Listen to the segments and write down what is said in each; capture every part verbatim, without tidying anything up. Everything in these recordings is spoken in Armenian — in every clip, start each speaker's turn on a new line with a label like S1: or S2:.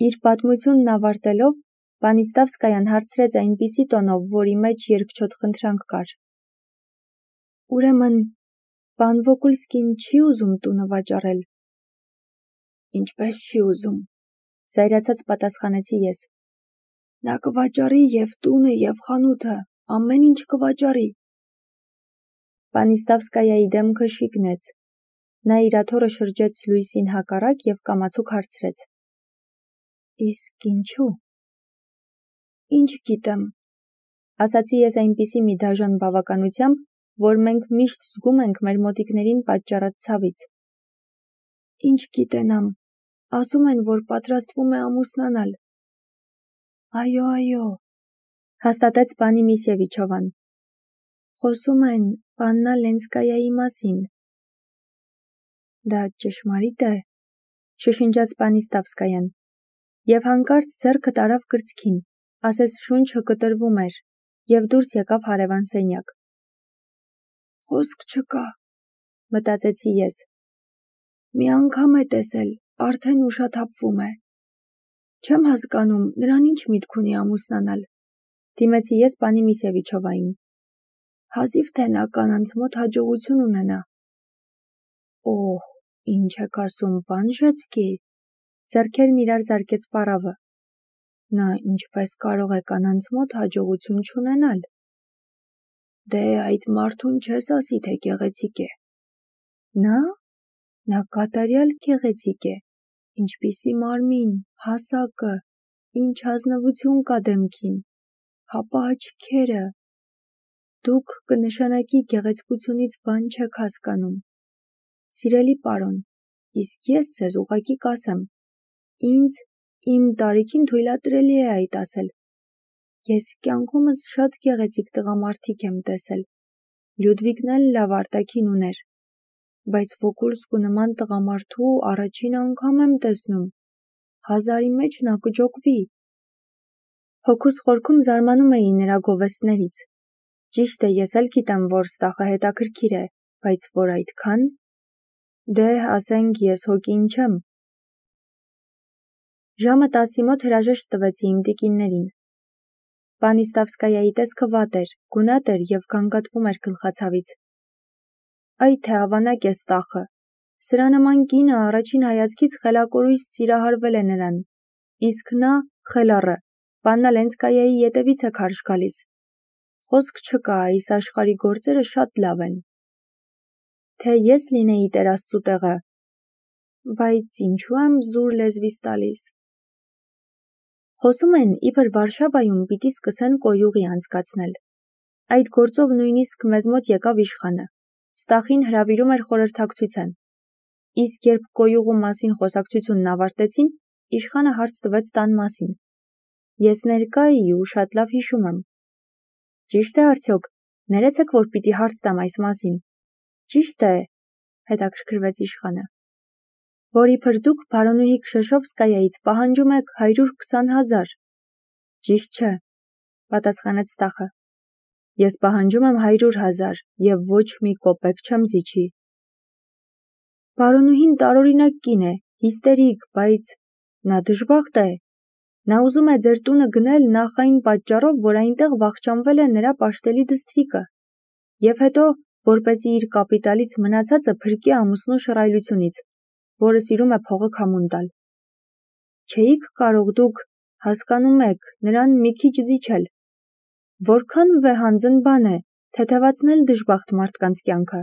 S1: Իր պատմությունն ավարտելով, Պանիստավսկայան հարցրեց այնպիսի տոնով, որի մեջ երկչոտ խնդրանք կար. Ուրեմն, պան Վոկուլսկին չի ուզում տունը վաճառել։ Ինչպես չի ուզում, զայրացած պատասխանեցի ես։ Նա կվաճառի և տունը, և խանութը, ամեն ինչ կվաճառի։ Պանիստավսկայայի դեմքը շիկնեց։ Նա իր աթոռը շրջեց լույսին հակառակ և կամացուկ հարցրեց. Իսկ ինչու։ Ինչ գիտեմ, ասացի ես այնպիսի մի դաժան բավականությամբ, որ մենք միշտ զգում ենք մեր մոտիկներին պատճառած ցավից։ Ինչ գիտենամ, ասում են, որ պատրաստվում է ամուսնանալ։ Այո, այո, հաստատեց պանի Միսևիչովան։ Խոսում են Պաննա Լենսկայայի մասին։ Դա ճշմարիտ է, շշնջաց Պանիստավսկայան, և հանկարծ ձեռքը տարավ կրծքին, ասես շունչը կտրվում էր, և դուրս եկավ հարևան սենյակ։ Խոսք չկա, մտածեցի ես։ Մի անգամ է տեսել, արդեն ուշաթափվում է։ Չեմ հասկանում, նրան ինչ միտք ունի ամուսնանալ, դիմեցի ես պանի Միսևիչովային։ Հազիվ թե նա կանանց մոտ հաջողություն ունենա։ Օհ, ինչ եք ասում, պան Ժեցկի, ձեռքերն իրար զարկեց պառավը։ Նա ինչպես կարող է կանանց մոտ հաջողություն չունենալ։ Դե այդ մարդուն չես ասի, թե գեղեցիկ է։ Նա, նա կատարյալ գեղեցիկ է, ինչպիսի մարմին, հասակը, ինչ ազնվություն կա դեմքին, հապա աչքերը։ Դուք կնշանակի գեղեցկությունից բան չեք հասկանում։ Սիրելի պարոն, իսկ ես ձեզ ուղղակի կասեմ, ինձ իմ տարիքին թույլատրելի է այդ ասել։ Ես կյանքումս շատ գեղեցիկ տղամարդիկ եմ տեսել։ Լյուդվիգն էլ լավ արտաքին ուներ, բայց Վոկուլսկու նման տղամարդու առաջին անգամ եմ տեսնում։ Հազարի մեջ նա կջոկվի։ Հոգուս խորքում զարմանում էի նրա գովեստներից։ Ճիշտ է, ես էլ գիտեմ, որ ստախը հետաքրքիր է, բայց որ այդքան։ Դե, ասենք, ես հոգին չեմ։ Ժամը տասի մոտ հրաժեշտ տվեցի իմ տիկիններին։ Պանիստավսկայայի տեսքը վատ էր, գունատ էր և գանգատվում էր գլխացավից։ Այ թե ավանակ է ստախը։ Սրա նման կինը առաջին հայացքից խելակորույս սիրահարվել է նրան, իսկ նա, խելառը, Պաննա Լենսկայայի ետևից է քարշ գալիս։ Խոսք չկա, այս աշխարհի գործերը շատ լավ են։ Թե ես լինեի Տեր Աստծու տեղը, բայց ինչու եմ զուր լեզվիս տալիս։ Խոսում են, իբր Վարշավայում պիտի սկսեն կոյուղի անցկացնել։ Այդ գործով նույնիսկ մեզ մոտ եկավ իշխանը։ Ստախին հրավիրում էր խորհրդակցության։ Իսկ երբ կոյուղու մասին խոսակցությունն ավարտեցին, իշխանը հարց տվեց տան մասին։ Ես ներկա էի ու շատ լավ հիշում եմ։ Ճիշտ է արդյոք, ներեցեք, որ պիտի հարց տամ այս մասին։ Ճիշտ է, հետաքրքրվեց իշխանը։ Որ իբր դուք բարոնուհի Քշեշովսկայայից պահանջում եք հարյուր քսան հազար։ Ճիշտ չէ, պատասխանեց ստախը։ Ես պահանջում եմ հարյուր հազար և ոչ մի կոպեկ չեմ զիջի։ Բարոնուհին տարօրինակ կին է, հիստերիկ, բայց նա դժբախտ է։ Նա ուզում է ձեր տունը գնել նախ այն պատճառով, որ այնտեղ վախճանվել է նրա պաշտելի դստրիկը, և հետո, որպեսզի իր կապիտալից մնացածը փրկի ամուսնու շռայլությունից, որը սիրում է փողը քամուն տալ։ Չէիք կարող դուք, հասկանում եք, նրան մի քիչ զիջել։ Որքան վեհանձն բան է, թեթևացնել դժբախտ մարդկանց կյանքը,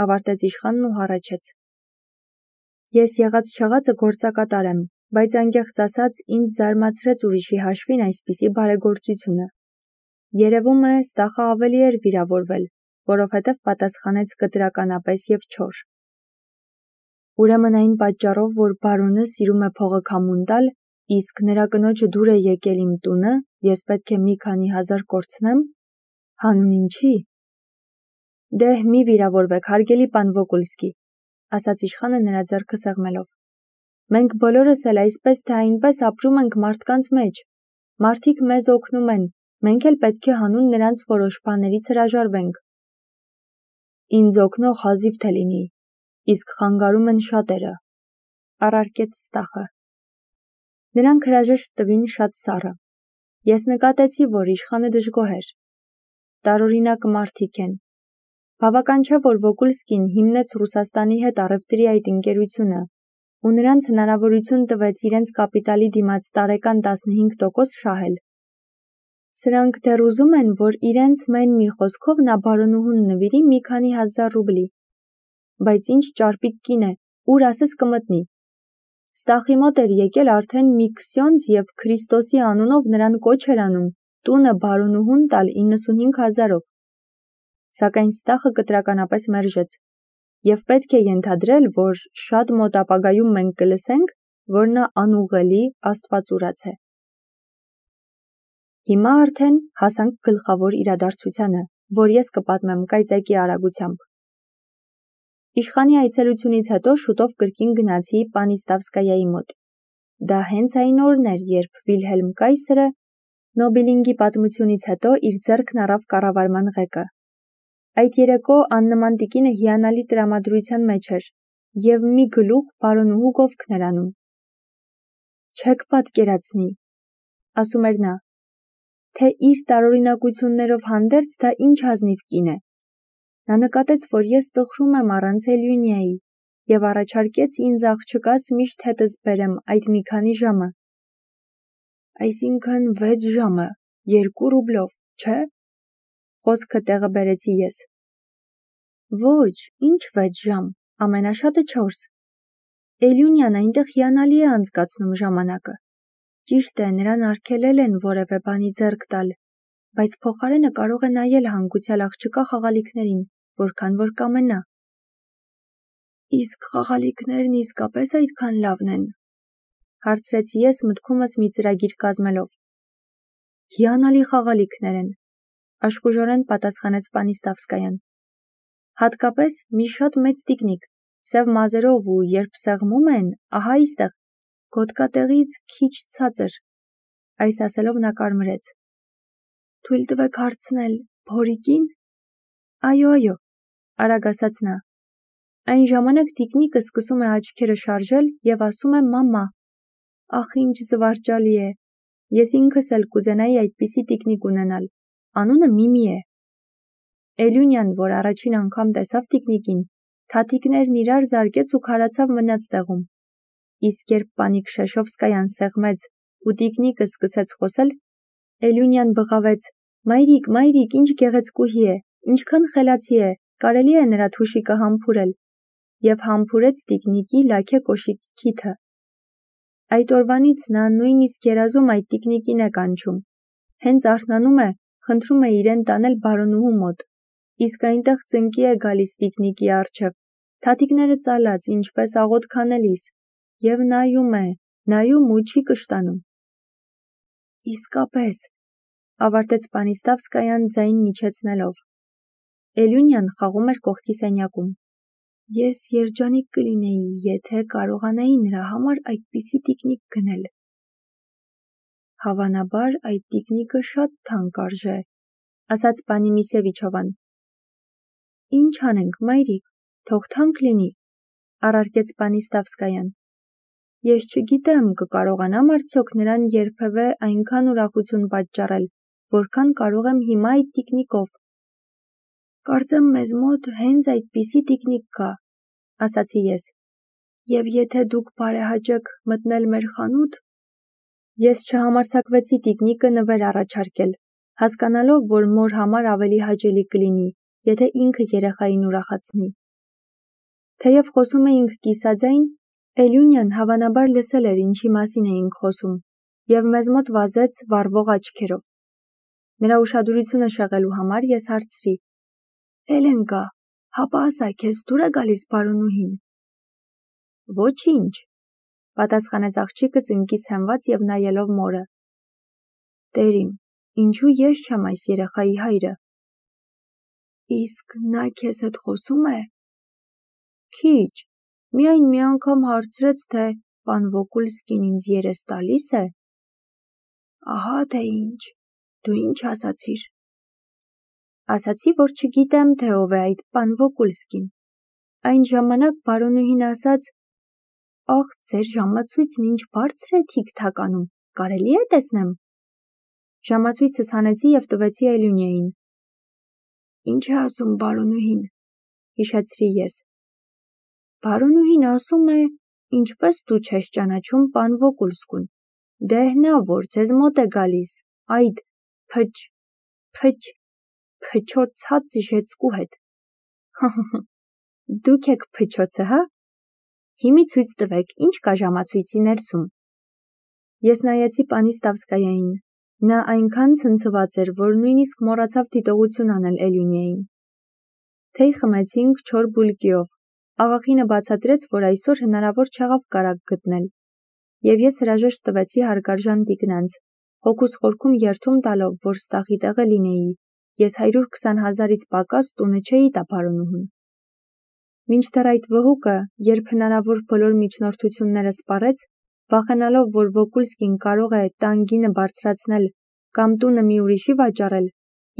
S1: ավարտեց իշխանն ու հառաչեց։ Ես եղած-չեղածը գործակատար եմ, բայց անկեղծ ասած ինձ զարմացրեց ուրիշի հաշվին այսպիսի բարեգործությունը։ Երևում է, ստախը ավելի էր վիրավորվել, որովհետև պատասխանեց կտրականապես և չոր։ Ուրեմն այն պատճառով, որ բարոնը սիրում է փողը քամուն տալ, իսկ նրա կնոջը դուր է եկել իմ տունը, ես պետք է մի քանի հազար կորցնեմ։ Հանուն ինչի։ Դե, մի վիրավորվեք, հարգելի պան Վոկուլսկի, ասաց իշխանը նրա ձեռքը սեղմելով։ Մենք բոլորս էլ այսպես թե այնպես ապրում ենք մարդկանց մեջ։ Մարդիկ մեզ օգնում են, մենք էլ պետք է հանուն նրանց որոշ բաներից հրաժարվենք։ Ինձ օգնող հազիվ թե լինի, իսկ խանգարում են շատերը, առարկեց ստախը։ Նրանք հրաժեշտ տվին շատ սառը։ Ես նկատեցի, որ իշխանը դժգոհ էր։ Տարօրինակ մարդիկ են։ Բավական չէ, որ Վոկուլսկին հիմնեց Ռուսաստանի հետ առևտրի այդ ընկերությունը ու նրանց հնարավորություն տվեց իրենց կապիտալի դիմաց տարեկան տասնհինգ տոկոս շահել։ Սրանք դեռ ուզում են, որ իրենց մեն մի խոսքով նա բարոնուհուն նվիրի մի քանի հազար ռուբլի։ Բայց ինչ ճարպիկ կին է, ուր ասես կմտնի։ Ստախի մոտ էր եկել արդեն մի քսյոնց և Քրիստոսի անունով նրան կոչ էր անում տունը բարոնուհուն տալ իննսունհինգ հազարով։ Սակայն Ստախը կտրականապես մերժեց, և պետք է ենթադրել, որ շատ մոտ ապագայում մենք կլսենք, որ նա անուղղելի աստվածուրաց է։ Հիմա արդեն հասանք գլխավոր իրադարձությանը, որ ես կպատմեմ կայծակի արագությամբ։ Իշխանի այցելությունից հետո շուտով կրկին գնացի Պանիստավսկայայի մոտ։ Դա հենց այն օրն էր, երբ Վիլհելմ կայսրը Նոբիլինգի պատմությունից հետո իր ձեռքն առավ կառավարման ղեկը։ Այդ երեկո աննման տիկինը հիանալի տրամադրության մեջ էր և մի գլուխ բարոնուհու գովքն էր անում։ Չեք պատկերացնի, ասում էր նա, թե իր տարօրինակություններով հանդերձ դա ինչ ազնիվ կին է։ Նա նկատեց, որ ես տխրում եմ առանց Էլյունիայի և առաջարկեց ինձ աղջկաս միշտ հետս բերեմ այդ մի քանի ժամը։ Այսինքն վեց ժամը, երկու ռուբլով, չէ՞։ Խոսքը տեղը բերեցի ես։ Ոչ, ինչ վեց ժամ, ամենաշատը չորս։ Էլյունիան այնտեղ հիանալի է անցկացնում ժամանակը։ Ճիշտ է, նրան արգելել են որևէ բանի ձեռք տալ, բայց փոխարենը կարող է նայել հանգուցյալ աղջկա խաղալիքներին, որքան որ կամենա։ Իսկ խաղալիքներն իսկապես այդքան լավն են, հարցրեցի ես մտքումս մի ծրագիր կազմելով։ Հիանալի խաղալիքներ են, աշխուժորեն պատասխանեց Պանիստավսկայան։ Հատկապես մի շատ մեծ տիկնիկ, սև մազերով ու երբ սեղմում են, ահա այստեղ, գոտկատեղից քիչ ցածր։ Այս ասելով նա կարմրեց։ Թույլ տվեք հարցնել, փորիկի՞ն։ Այո, այո, արագ ասաց նա։ Այն ժամանակ տիկնիկը սկսում է աչքերը շարժել և ասում է մամա։ Ախ, ինչ զվարճալի է։ Ես ինքս էլ կուզենայի այդպիսի տիկնիկ ունենալ։ Անունը Միմի է։ Էլյունյան, որ առաջին անգամ տեսավ տիկնիկին, թաթիկներն իրար զարկեց ու քարացավ մնաց տեղում։ Իսկ երբ Պանիկ Շեշովսկայան սեղմեց ու տիկնիկը սկսեց խոսել, Էլյունյան բղավեց. Մայրիկ, մայրիկ, ինչ գեղեցկուհի է, ինչքան խելացի է, կարելի է նրա թուշիկը համբուրել, և համբուրեց տիկնիկի լաքե կոշիկի քիթը։ Այդ օրվանից նա նույնիսկ երազում այդ տիկնիկին է կանչում։ Հենց արթնանում է, խնդրում է իրեն տանել բարոնուհու մոտ, իսկ այնտեղ ծնկի է գալիս տիկնիկի առջև, թաթիկները ծալած, ինչպես աղոթք անելիս, և նայում է, նայում ու չի կշտանում։ Իսկապես, ավարտեց Պանիստավսկայան ձայնն իջեցնելով։ Էլյունյան խաղում էր կողքի սենյակում։ Ես երջանիկ կլինեի, եթե կարողանայի նրա համար այդպիսի տիկնիկ գնել։ Հավանաբար այդ տիկնիկը շատ թանկ արժե, ասաց պանի Միսևիչովան։ Ինչ անենք, մայրիկ, թող թանկ լինի, առարկեց Պանիստավսկայան։ Ես չգիտեմ, կկարողանամ արդյոք նրան երբևէ այնքան ուրախություն պատճառել, որքան կարող եմ հիմա այդ տիկնիկով։ Կարծեմ մեզ մոտ հենց այդպիսի տիկնիկ կա, ասացի ես, և եթե դուք բարեհաճեք մտնել մեր խանութ։ Ես չհամարձակվեցի տիկնիկը նվեր առաջարկել, հասկանալով, որ մոր համար ավելի հաճելի կլինի, եթե ինքը երեխային ուրախացնի։ Թեև խոսում էինք կիսաձայն, Էլյունյան հավանաբար լսել էր ինչի մասին էինք խոսում, և մեզ մոտ վազեց վառվող աչքերով։ Նրա ուշադրությունը շեղելու համար ես հարցրի. Էլենկա, հապա ասա, քեզ դուր է գալիս բարոնուհին։ Ոչինչ, պատասխանեց աղջիկը ծնկից հենված և նայելով մորը։ Տերիմ, ինչու ես չեմ այս երեխայի հայրը։ Իսկ նա քեզ հետ խոսում է։ Քիչ, միայն մի անգամ հարցրեց, թե պան Վոկուլսկին ինձ երես տալի՞ս է։ Ահա թե ինչ, դու ինչ ասացիր։ Ասացի, որ չգիտեմ, թե ով է այդ պան Վոկուլսկին։ Այն ժամանակ բարոնուհին ասաց. Ախ, ձեր ժամացույցն ինչ բարձր է թիք-թականում, կարելի է տեսնեմ։ Ժամացույցս հանեցի և տվեցի Էլյունեին։ Ինչ է ասում բարոնուհին, հիշեցրի ես։ Բարոնուհին ասում է, ինչպես դու չես ճանաչում պան Վոկուլսկուն, դե հնա որ ձեզ մոտ է գալիս, այդ փչ, փչ, փչոցած ժեցկու հետ։ Դուք եք փչոցը, հա։ Հիմի ցույց տվեք, ինչ կա ժամացույցի ներսում։ Ես նայեցի պանի Ստավսկայային։ Նա այնքան ցնցված էր, որ նույնիսկ մոռացավ դիտողություն անել Էլյունեին։ Թեյ խմեցինք չոր բուլկիով։ Աղախինը բացատրեց, որ այսօր հնարավոր չեղավ կարագ գտնել։ Եվ ես հրաժեշտ տվեցի հարգարժան տիկնանց, հոգուս խորքում երդում տալով, որ ստախի տեղը լինեի, ես հարյուր քսան հազարից պակաս տունը չէի տա բարոնուհուն։ Մինչդեռ այդ վհուկը, երբ հնարավոր բոլոր միջնորդությունները սպառեց, վախենալով, որ Վոկուլսկին կարող է տան գինը բարձրացնել կամ տունը մի ուրիշի վաճառել,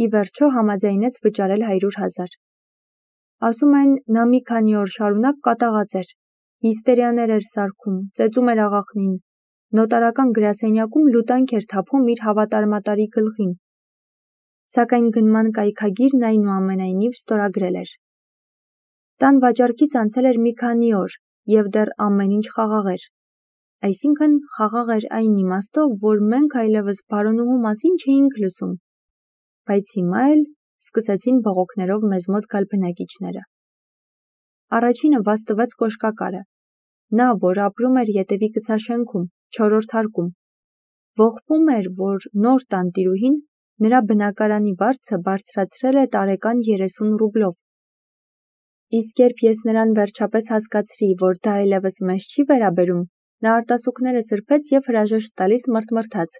S1: ի վերջո համաձայնեց վճարել հարյուր հազար։ Ասում են, նա մի քանի օր շարունակ կատաղած էր, հիստերիաներ էր սարքում, ծեծում էր աղախնին, նոտարական գրասենյակում լուտանք էր թափում իր հավատարմատարի գլխին։ Սակայն գնման կայքագիրն այնուամենայնիվ ստորագրել էր։ Տան վաճառքից անցել էր մի քանի օր, և դեռ ամեն ինչ խաղաղ էր։ Այսինքն խաղաղ էր այն իմաստով, որ մենք այլևս բարոնուհու մասին չէինք լսում, բայց հիմա էլ սկսեցին բողոքներով մեզ մոտ գալ բնակիչները։ Առաջինը վազ տվեց կոշկակարը, նա, որ ապրում էր ետևի կցաշենքում, չորրորդ հարկում, ողբում էր, որ նոր տանտիրուհին նրա բնակարանի վարձը բարձրացրել է տարեկան երեսուն ռուբլով։ Իսկ երբ ես նրան վերջապես հասկացրի, որ դա այլևս մեզ չի վերաբերում, նա արտասուքները սրբեց և հրաժեշտ տալիս մռթմռթաց.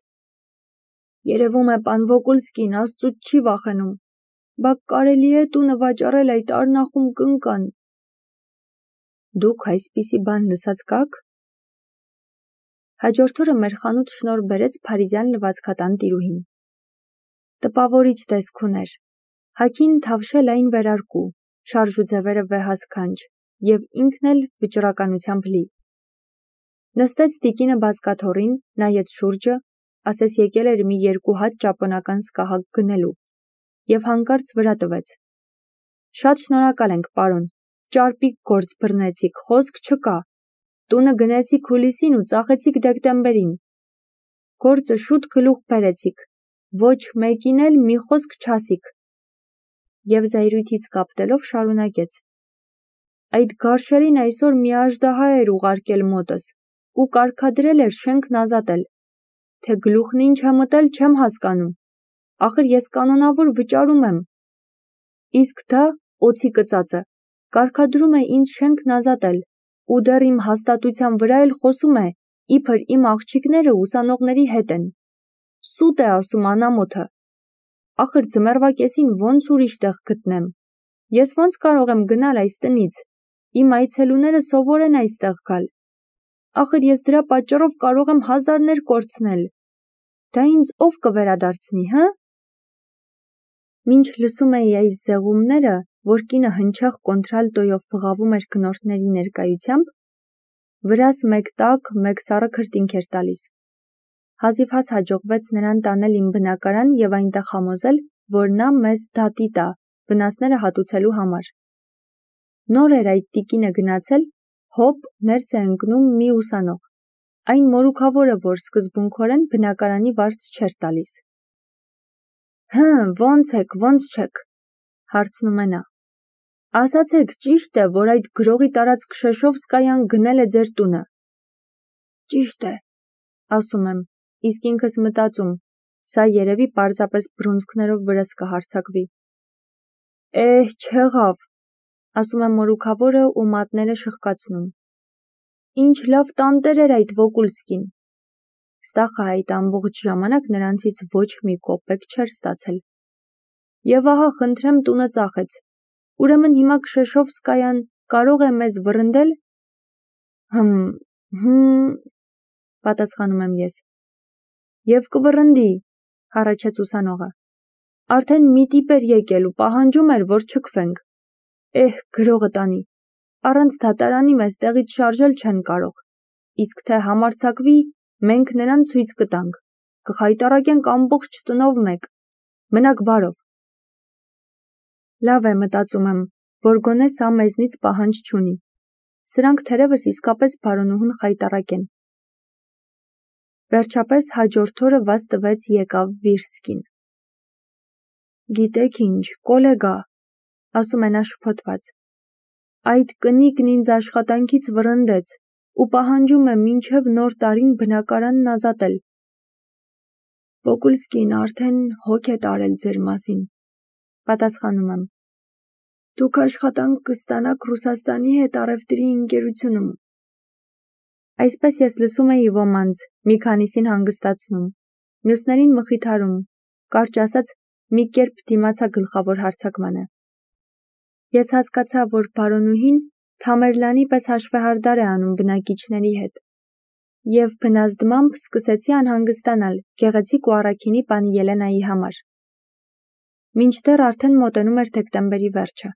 S1: Երևում է պան Վոկուլսկին աստծուց չի վախենում, բա կարելի է տունը վաճառել այդ արնախում կնկան։ Դուք այսպիսի բան լսած կաք։ Հաջորդ օրը մեր խանութ շնորհ բերեց փարիզյան լվացքատան տիրուհին։ Տպավորիչ տեսք ուներ, հագին թավշել այն վերարկու, շարժուձևերը վեհասքանչ, և ինքն էլ վճռականությամբ լի։ Նստեց տիկինը բազկաթոռին, նայեց շուրջը, ասես եկել էր մի երկու հատ ճապոնական սկահակ գնելու, և հանկարծ վրա տվեց. Շատ շնորհակալ ենք, պարոն, ճարպիկ գործ բռնեցիք, խոսք չկա, տունը գնեցիք հուլիսին ու ծախեցիք դեկտեմբերին, գործը շուտ գլուխ բերեցիք, ոչ մեկին էլ մի խոսք չասիք։ Եվ զայրույթից կապտելով շարունակեց. Այդ գարշելին այսօր մի աժդահա էր ուղարկել մոտս ու կարգադրել էր շենքն ազատել, թե գլուխն ինչ է մտել չեմ հասկանում, ախր ես կանոնավոր վճարում եմ։ Իսկ դա, օձի կծածը, կարգադրում է ինձ շենքն ազատել ու դեռ իմ հաստատության վրա էլ խոսում է, իբր իմ աղջիկները ուսանողների հետ են։ Սուտ է ասում անամոթը։ Ախր ձմեռվա կեսին ոնց ուրիշ տեղ գտնեմ։ Ես ոնց կարող եմ գնալ այս տնից։ Իմ այցելուները սովոր են այստեղ գալ։ Ախր ես դրա պատճառով կարող եմ հազարներ կորցնել։ Դա ինձ ով կվերադարձնի, հը։ Մինչ լսում էի այս զեղումները, որ կինը հնչեղ կոնտրալտոյով բղավում էր գնորդների ներկայությամբ, վրաս մեկ տաք, մեկ սառը քրտինք էր տալիս։ Հազիվհազ հաջողվեց նրան տանել իմ բնակարան և այնտեղ համոզել, որ նա մեզ դատի տա, վնասները հատուցելու համար։ Նոր էր այդ տիկինը գնացել, հոպ, ներս է ընկնում մի ուսանող, այն մորուքավորը, որ սկզբունքորեն բնակարանի վարձ չէր տալիս։ Հը, ոնց եք, ոնց չեք, հարցնում է նա։ Ասացեք, ճիշտ է, որ այդ գրողի տարած Քշեշովսկայան գնել է ձեր տունը։ Ճիշտ է, ասում եմ, իսկ ինքս մտածում, սա երևի պարզապես բռունցքներով վրես կհարձակվի։ Էհ, չեղավ, ասում է մորուքավորը ու մատները շխկացնում։ Ինչ լավ տանտեր էր այդ Վոկուլսկին։ Ստախը այդ ամբողջ ժամանակ նրանցից ոչ մի կոպեկ չէր ստացել։ Եվ ահա խնդրեմ տունը ծախեց։ Ուրեմն հիմա Քշեշովսկայան կարող է մեզ վռնդել։ Հմ, հմ, պատասխանում եմ ես։ Եվ կվռնդի, հառաչեց ուսանողը։ Արդեն մի տիպ էր եկել ու պահանջում էր, որ չքվենք։ Էհ, գրողը տանի, առանց դատարանի մեզ տեղից շարժել չեն կարող։ իսկ թե համարձակվի, մենք նրան ցույց կտանք, կխայտառակենք ամբողջ տնով մեկ, մնաք բարով։ Լավ է, մտածում եմ, որ գոնե սա մեզնից պահանջ չունի։ Սրանք թերևս իսկապես բարոնուհուն խայտառակ են։ Վերջապես հաջորդ օրը վազ տվեց եկավ Վիրսկին։ Գիտեք ինչ, կոլեգա, ասում է նա շփոթված, այդ կնիկն ինձ աշխատանքից վռնդեց ու պահանջում է մինչև նոր տարին բնակարանն ազատել։ Վոկուլսկին արդեն հոգ է տարել ձեր մասին, պատասխանում եմ։ Դուք աշխատանք կստանաք Ռուսաստանի հետ առևտրի ընկերությունում։ Այսպես ես լսում էի ոմանց, մի քանիսին հանգստացնում, մյուսներին մխիթարում, կարճ ասած, մի կերպ դիմացա գլխավոր հարձակմանը։ Ես հասկացա, որ բարոնուհին Թամերլանի պես հաշվեհարդար է անում բնակիչների հետ, և բնազդմամբ սկսեցի անհանգստանալ գեղեցիկ ու առաքինի պանի Ելենայի համար։ Մինչդեռ արդեն մոտենում էր դեկտեմբերի վերջը։